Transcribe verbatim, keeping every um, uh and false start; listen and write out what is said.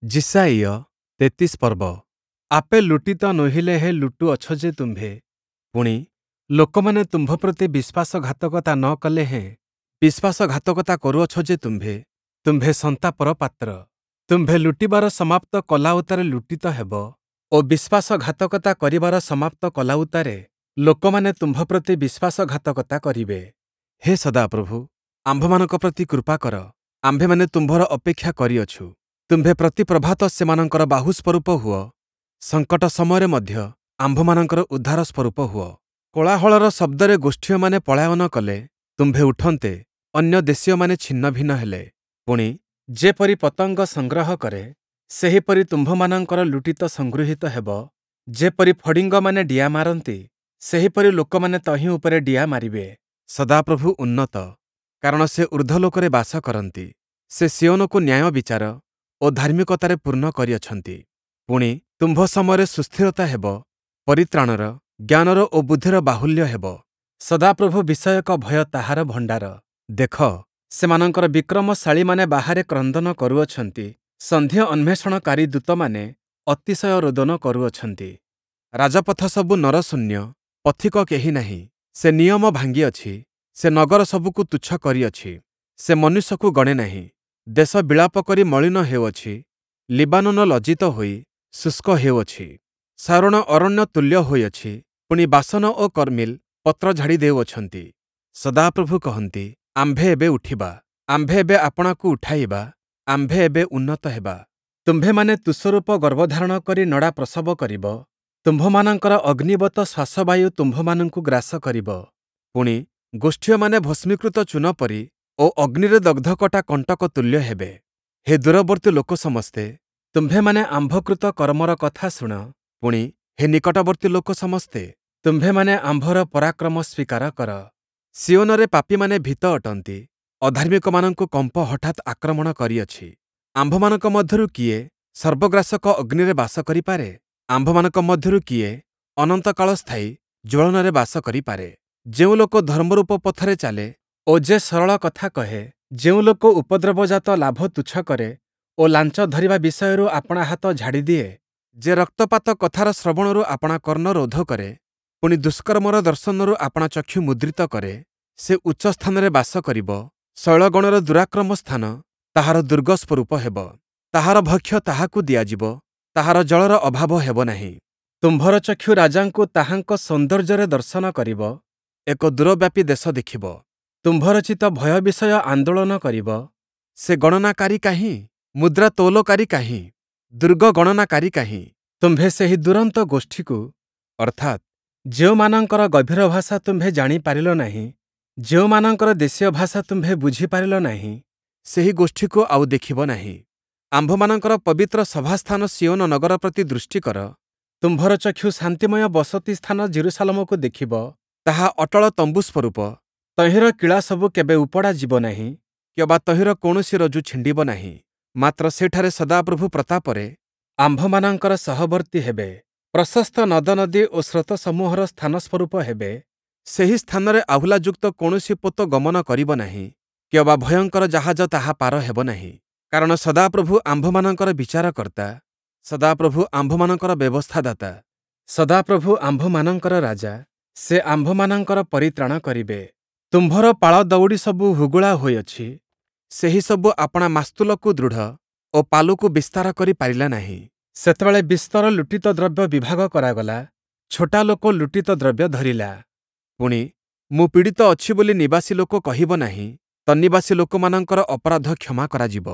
ଯିଶାଇୟ ତେତିଶ ପର୍ବ ଆପେ ଲୁଟିତ ନୋହିଲେ ହେଁ ଲୁଟୁଅଛ ଯେ ତୁମ୍ଭେ, ପୁଣି, ଲୋକମାନେ ତୁମ୍ଭ ପ୍ରତି ବିଶ୍ୱାସଘାତକତା ନ କଲେ ହେଁ ବିଶ୍ୱାସଘାତକତା କରୁଅଛ ଯେ ତୁମ୍ଭେ, ତୁମ୍ଭେ ସନ୍ତାପର ପାତ୍ର। ତୁମ୍ଭେ ଲୁଟିବାର ସମାପ୍ତ କଲା ଉତ୍ତାରେ ଲୁଟିତ ହେବ ଓ ବିଶ୍ୱାସଘାତକତା କରିବାର ସମାପ୍ତ କଲା ଉତ୍ତାରେ ଲୋକମାନେ ତୁମ୍ଭ ପ୍ରତି ବିଶ୍ୱାସଘାତକତା କରିବେ। ହେ ସଦାପ୍ରଭୁ, ଆମ୍ଭମାନଙ୍କ ପ୍ରତି କୃପା କର, ଆମ୍ଭେମାନେ ତୁମ୍ଭର ଅପେକ୍ଷା କରିଅଛୁ। ତୁମ୍ଭେ ପ୍ରତି ପ୍ରଭାତ ସେମାନଙ୍କର ବାହୁ ସ୍ୱରୂପ ହୁଅ, ସଙ୍କଟ ସମୟରେ ମଧ୍ୟ ଆମ୍ଭମାନଙ୍କର ଉଦ୍ଧାର ସ୍ୱରୂପ ହୁଅ। କୋଳାହଳର ଶବ୍ଦରେ ଗୋଷ୍ଠୀୟମାନେ ପଳାୟନ କଲେ, ତୁମ୍ଭେ ଉଠନ୍ତେ ଅନ୍ୟ ଦେଶୀୟମାନେ ଛିନ୍ନଭିନ୍ନ ହେଲେ। ପୁଣି, ଯେପରି ପତଙ୍ଗ ସଂଗ୍ରହ କରେ, ସେହିପରି ତୁମ୍ଭମାନଙ୍କର ଲୁଟିତ ସଂଗୃହୀତ ହେବ; ଯେପରି ଫଡ଼ିଙ୍ଗମାନେ ଡିଆଁ ମାରନ୍ତି, ସେହିପରି ଲୋକମାନେ ତହିଁ ଉପରେ ଡିଆଁ ମାରିବେ। ସଦାପ୍ରଭୁ ଉନ୍ନତ, କାରଣ ସେ ଊର୍ଦ୍ଧ୍ୱଲୋକରେ ବାସ କରନ୍ତି। ସେ ସିୟୋନକୁ ନ୍ୟାୟବିଚାର ଓ ଧାର୍ମିକତାରେ ପୂର୍ଣ୍ଣ କରିଅଛନ୍ତି। ପୁଣି, ତୁମ୍ଭ ସମୟରେ ସୁସ୍ଥିରତା ହେବ, ପରିତ୍ରାଣର, ଜ୍ଞାନର ଓ ବୁଦ୍ଧିର ବାହୁଲ୍ୟ ହେବ। ସଦାପ୍ରଭୁ ବିଷୟକ ଭୟ ତାହାର ଭଣ୍ଡାର। ଦେଖ, ସେମାନଙ୍କର ବିକ୍ରମଶାଳୀମାନେ ବାହାରେ କ୍ରନ୍ଦନ କରୁଅଛନ୍ତି, ସନ୍ଧି ଅନ୍ୱେଷଣକାରୀ ଦୂତମାନେ ଅତିଶୟ ରୋଦନ କରୁଅଛନ୍ତି। ରାଜପଥ ସବୁ ନରଶୂନ୍ୟ, ପଥିକ କେହି ନାହିଁ। ସେ ନିୟମ ଭାଙ୍ଗିଅଛି, ସେ ନଗର ସବୁକୁ ତୁଚ୍ଛ କରିଅଛି, ସେ ମନୁଷ୍ୟକୁ ଗଣେ ନାହିଁ। ଦେଶ ବିଳାପ କରି ମଳିନ ହେଉଅଛି, ଲିବାନୋନ ଲଜ୍ଜିତ ହୋଇ ଶୁଷ୍କ ହେଉଅଛି। ଶାରୋଣ ଅରଣ୍ୟ ତୁଲ୍ୟ ହୋଇଅଛି, ପୁଣି ବାଶନ ଓ କର୍ମିଲ ପତ୍ର ଝାଡ଼ି ଦେଉଅଛନ୍ତି। ସଦାପ୍ରଭୁ କହନ୍ତି, ଆମ୍ଭେ ଏବେ ଉଠିବା, ଆମ୍ଭେ ଏବେ ଆପଣାକୁ ଉଠାଇବା, ଆମ୍ଭେ ଏବେ ଉନ୍ନତ ହେବା। ତୁମ୍ଭେମାନେ ତୁଷରୂପ ଗର୍ଭଧାରଣ କରି ନଡ଼ା ପ୍ରସବ କରିବ, ତୁମ୍ଭମାନଙ୍କର ଅଗ୍ନିବତ ଶ୍ୱାସବାୟୁ ତୁମ୍ଭମାନଙ୍କୁ ଗ୍ରାସ କରିବ। ପୁଣି, ଗୋଷ୍ଠୀୟମାନେ ଭସ୍ମୀକୃତ ଚୂନ ପରି ଓ ଅଗ୍ନିରେ ଦଗ୍ଧକଟା କଣ୍ଟକ ତୁଲ୍ୟ ହେବେ। ହେ ଦୂରବର୍ତ୍ତୀ ଲୋକ ସମସ୍ତେ, ତୁମ୍ଭେମାନେ ଆମ୍ଭକୃତ କର୍ମର କଥା ଶୁଣ, ପୁଣି, ହେ ନିକଟବର୍ତ୍ତୀ ଲୋକ ସମସ୍ତେ, ତୁମ୍ଭେମାନେ ଆମ୍ଭର ପରାକ୍ରମ ସ୍ୱୀକାର କର। ସିୟୋନରେ ପାପୀମାନେ ଭୀତ ଅଟନ୍ତି, ଅଧାର୍ମିକମାନଙ୍କୁ କମ୍ପ ହଠାତ୍ ଆକ୍ରମଣ କରିଅଛି। ଆମ୍ଭମାନଙ୍କ ମଧ୍ୟରୁ କିଏ ସର୍ବଗ୍ରାସକ ଅଗ୍ନିରେ ବାସ କରିପାରେ? ଆମ୍ଭମାନଙ୍କ ମଧ୍ୟରୁ କିଏ ଅନନ୍ତକାଳ ସ୍ଥାୟୀ ଜ୍ୱଳନରେ ବାସ କରିପାରେ? ଯେଉଁ ଲୋକ ଧର୍ମରୂପ ପଥରେ ଚାଲେ ଓ ଯେ ସରଳ କଥା କହେ, ଯେଉଁ ଲୋକ ଉପଦ୍ରବଜାତ ଲାଭ ତୁଚ୍ଛ କରେ ଓ ଲାଞ୍ଚ ଧରିବା ବିଷୟରୁ ଆପଣା ହାତ ଝାଡ଼ି ଦିଏ, ଯେ ରକ୍ତପାତ କଥାର ଶ୍ରବଣରୁ ଆପଣା କର୍ଣ୍ଣ ରୋଧ କରେ, ପୁଣି ଦୁଷ୍କର୍ମର ଦର୍ଶନରୁ ଆପଣା ଚକ୍ଷୁ ମୁଦ୍ରିତ କରେ, ସେ ଉଚ୍ଚ ସ୍ଥାନରେ ବାସ କରିବ, ଶୈଳଗଣର ଦୁରାକ୍ରମ ସ୍ଥାନ ତାହାର ଦୁର୍ଗ ସ୍ୱରୂପ ହେବ। ତାହାର ଭକ୍ଷ୍ୟ ତାହାକୁ ଦିଆଯିବ, ତାହାର ଜଳର ଅଭାବ ହେବ ନାହିଁ। ତୁମ୍ଭର ଚକ୍ଷୁ ରାଜାଙ୍କୁ ତାହାଙ୍କ ସୌନ୍ଦର୍ଯ୍ୟରେ ଦର୍ଶନ କରିବ, ଏକ ଦୂରବ୍ୟାପୀ ଦେଶ ଦେଖିବ। ତୁମ୍ଭର ଚିତ୍ତ ଭୟ ବିଷୟ ଆନ୍ଦୋଳନ କରିବ। ସେ ଗଣନାକାରୀ କାହିଁ? ମୁଦ୍ରା ତୌଲକାରୀ କାହିଁ? ଦୁର୍ଗ ଗଣନାକାରୀ କାହିଁ? ତୁମ୍ଭେ ସେହି ଦୂରନ୍ତ ଗୋଷ୍ଠୀକୁ, ଅର୍ଥାତ୍, ଯେଉଁମାନଙ୍କର ଗଭୀର ଭାଷା ତୁମ୍ଭେ ଜାଣି ପାରିଲ ନାହିଁ, ଯେଉଁମାନଙ୍କର ଦେଶୀୟ ଭାଷା ତୁମ୍ଭେ ବୁଝିପାରିଲ ନାହିଁ, ସେହି ଗୋଷ୍ଠୀକୁ ଆଉ ଦେଖିବ ନାହିଁ। ଆମ୍ଭମାନଙ୍କର ପବିତ୍ର ସଭାସ୍ଥାନ ସିୟୋନ ନଗର ପ୍ରତି ଦୃଷ୍ଟି କର। ତୁମ୍ଭର ଚକ୍ଷୁ ଶାନ୍ତିମୟ ବସତି ସ୍ଥାନ ଯିରୂଶାଲମକୁ ଦେଖିବ, ତାହା ଅଟଳ ତମ୍ବୁ ସ୍ୱରୂପ, ତହିଁର କିଳା ସବୁ କେବେ ଉପଡ଼ା ଯିବ ନାହିଁ, କିଅବା ତହିଁର କୌଣସି ରଜ୍ଜୁ ଛିଣ୍ଡିବ ନାହିଁ। ମାତ୍ର ସେଠାରେ ସଦାପ୍ରଭୁ ପ୍ରତାପରେ ଆମ୍ଭମାନଙ୍କର ସହବର୍ତ୍ତୀ ହେବେ, ପ୍ରଶସ୍ତ ନଦନଦୀ ଓ ସ୍ରୋତସମୂହର ସ୍ଥାନ ସ୍ୱରୂପ ହେବେ। ସେହି ସ୍ଥାନରେ ଆହୁଲାଯୁକ୍ତ କୌଣସି ପୋତ ଗମନ କରିବ ନାହିଁ, କିଅବା ଭୟଙ୍କର ଜାହାଜ ତାହା ପାର ହେବ ନାହିଁ। କାରଣ ସଦାପ୍ରଭୁ ଆମ୍ଭମାନଙ୍କର ବିଚାରକର୍ତ୍ତା, ସଦାପ୍ରଭୁ ଆମ୍ଭମାନଙ୍କର ବ୍ୟବସ୍ଥାଦାତା, ସଦାପ୍ରଭୁ ଆମ୍ଭମାନଙ୍କର ରାଜା, ସେ ଆମ୍ଭମାନଙ୍କର ପରିତ୍ରାଣ କରିବେ। ତୁମ୍ଭର ପାଳ ଦଉଡ଼ି ସବୁ ହୁଗୁଳା ହୋଇଅଛି, ସେହିସବୁ ଆପଣା ମାସ୍ତୁଲକୁ ଦୃଢ଼ ଓ ପାଲକୁ ବିସ୍ତାର କରି ପାରିଲା ନାହିଁ। ସେତେବେଳେ ବିସ୍ତର ଲୁଟିତ ଦ୍ରବ୍ୟ ବିଭାଗ କରାଗଲା, ଛୋଟା ଲୋକ ଲୁଟିତ ଦ୍ରବ୍ୟ ଧରିଲା। ପୁଣି, ମୁଁ ପୀଡ଼ିତ ଅଛି ବୋଲି ନିବାସୀ ଲୋକ କହିବ ନାହିଁ, ତନ୍ନିବାସୀ ଲୋକମାନଙ୍କର ଅପରାଧ କ୍ଷମା କରାଯିବ।